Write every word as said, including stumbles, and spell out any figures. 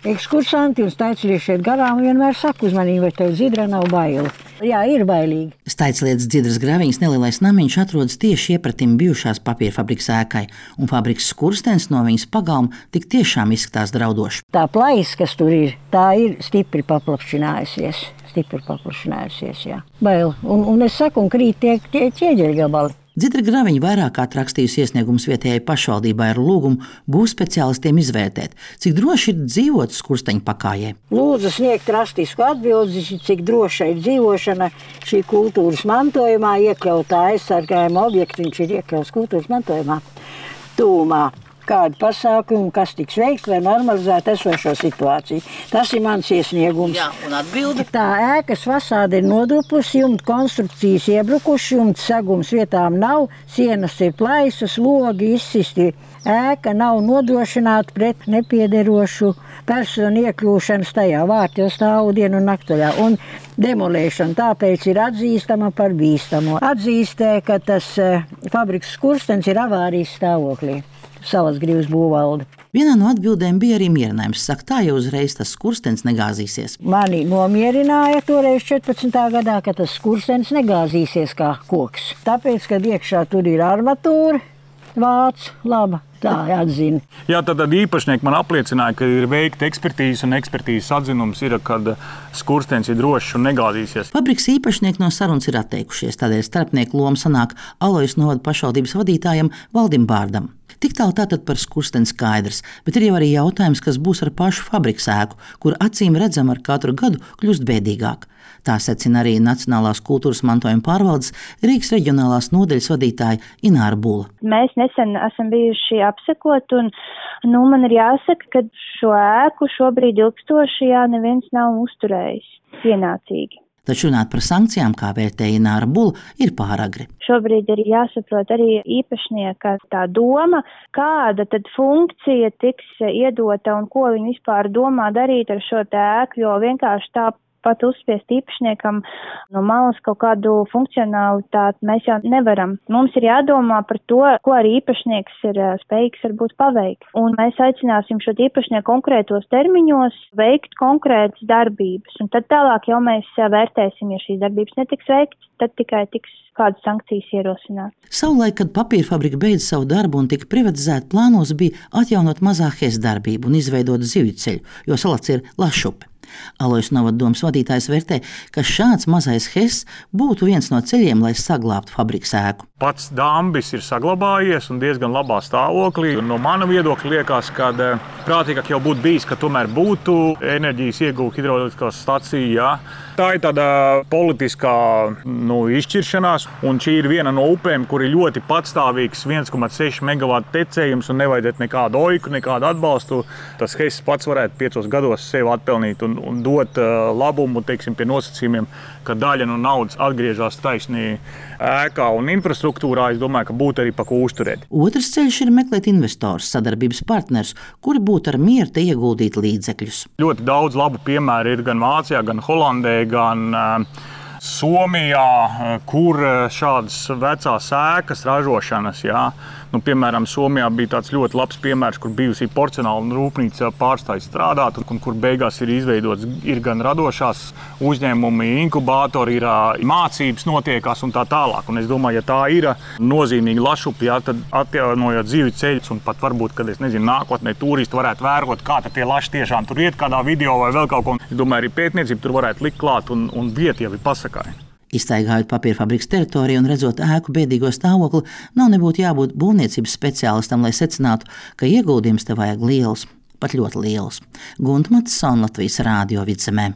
Ekskursanti un staiclieti šeit garām vienmēr saka uzmanīgi, vai tev Dzidra nav baila. Jā, ir bailīgi. Staiclietas Dzidras Graviņas nelielais namiņš atrodas tieši iepratim bijušās papīra fabrikas ēkai, un fabrikas skurstenis no viņas pagalma tik tiešām izskatās draudoši. Tā plaisa, kas tur ir, tā ir stipri paplašinājusies. Stipri paplašinājusies, jā. Bail. Un, un es saku, un krīt tie, tie ķieģeļu gabali. Dzidra Graviņa vairāk kārt rakstījusi iesniegumus vietējai pašvaldībai ar lūgumu būvspeciālistiem izvērtēt, cik droši ir dzīvot skursteņa pakājē. Lūdzu sniegt rastisku atbildi, cik droša ir dzīvošana šī kultūras mantojumā, iekļautā aizsargājuma objekta, viņš ir iekļauts kultūras mantojumā tūmā. Kādi pasākumi, kas tiks veikts, lai normalizētu esošo situāciju. Tas ir mans iesniegums. Jā, un atbildi? Tā ēkas fasāde ir nodupusi, jumta konstrukcijas iebrukuši, jumta segums vietām nav, sienas ir plaisas, logi izsisti. Ēka nav nodrošināta pret nepiederošu personu iekļūšanas tajā vārtos stāvu dienu un naktojā. Un demolēšana tāpēc ir atzīstama par bīstamo. Atzīstē, ka tas fabrikas skurstenis ir avārijas stāvoklī. Salas Grivas būvvalde. Vienā no atbildēm bija arī mierinājums. Saka, tā jau uzreiz tas skurstenis negāzīsies. Mani nomierināja toreiz četrpadsmitā gadā, ka tas skurstenis negāzīsies kā koks. Tāpēc, kad iekšā tur ir armatūra, vāc, laba. Tā atzina. Jā, tad īpašnieki man apliecināja, ka ir veikta ekspertīze un ekspertīzes atzinums ir, kad skurstenis ir drošs un negāzīsies. Fabrikas īpašnieki no sarunas ir atteikušies, tādēļ starpnieku loma sanāk Alojas novada pašvaldības vadītājam Valdim Bārdam. Tik tālu tātad par skursteni skaidrs, bet ir jau arī jautājums, kas būs ar pašu fabrikas ēku, kur acīm redzam ar katru gadu kļūst bēdīgāk. Tā secina arī Nacionālās kultūras mantojuma pārvaldes Rīgas reģionālās nodaļas vadītāja Ināra Bula. Mēs nesen esam bijuši apsekot, un nu, man ir jāsaka, ka šo ēku šobrīd ilgstoši jā, neviens nav uzturējis pienācīgi. Taču runāt par sankcijām, kā vērtēja Ināra Bula, ir pāragri. Šobrīd ir jāsaprot arī īpašnieka tā doma, kāda tad funkcija tiks iedota un ko viņi vispār domā darīt ar šo ēku, jo vienkārši tā pat uzspiest īpašniekam no malas kaut kādu funkcionalitāti mēs jau nevaram. Mums ir jādomā par to, ko arī īpašnieks ir spējīgs varbūt paveikt. Un mēs aicināsim šo īpašnieku konkrētos termiņos veikt konkrētas darbības. Un tad tālāk jau mēs vērtēsim, ja šīs darbības netiks veikts, tad tikai tiks kādas sankcijas ierosināt. Savulaik, kad papīra fabrika beidza savu darbu un tika privatizēta, plānos bija atjaunot mazā Hes darbību un izveidot zivju ceļu, jo salats ir Lašupe. Alojas novada domas vadītājs vērtē, ka šāds mazais Hes būtu viens no ceļiem, lai saglābtu fabrikas ēku. Pats dambis ir saglabājies un diezgan labā stāvoklī. No mana viedokļa liekas, ka prātīgāk jau būtu bijis, ka tomēr būtu enerģijas iegūta hidroelektriskās stacija. Jā. Tā ir tāda politiskā nu, izšķiršanās, un šī ir viena no upēm, kur ir ļoti patstāvīgs viens komats seši megavatu tecējums un nevajadzētu nekādu oiku, nekādu atbalstu. Tas Hes pats varētu piecos gados sev atpelnīt un, un dot uh, labumu, teiksim, pie nosacījumiem, ka daļa no naudas atgriežas taisnī ēkā un infrastruktūrā. Es domāju, ka būtu arī pa ko uzturēt. Otrs ceļš ir meklēt investors, sadarbības partners, kuri būtu ar mieru te ieguldīt līdzekļus. Ļoti daudz labu piemēru ir gan Vācijā, gan Holandē, gan uh, Somijā, kur šādas vecās ēkas ražošanas, jā. Nu, piemēram, Somijā bija tāds ļoti labs piemērs, kur bijusī porcelāna rūpnīca pārstāja strādāt, un kur beigās ir izveidots ir gan radošās uzņēmumi, inkubātori, ir mācības notiekās un tā tālāk. Un es domāju, ja tā ir nozīmīga Lašupe, jā, tad atjaunojot zivju ceļus un pat varbūt, kad es nezinu, nākotnē turisti varētu vērot, kā tie laši tiešām tur iet kādā video vai vēl kaut ko. Es domāju, arī pētniecība tur varētu likt klāt un, un vieta jau ir pasakāja. Izstaigājot papīra fabrikas teritoriju un redzot ēku bēdīgo stāvokli, nav nebūtu jābūt būvniecības speciālistam, lai secinātu, ka ieguldījums te vajag liels, pat ļoti liels. Gunta Matsona, Latvijas Rādio Vidzemē.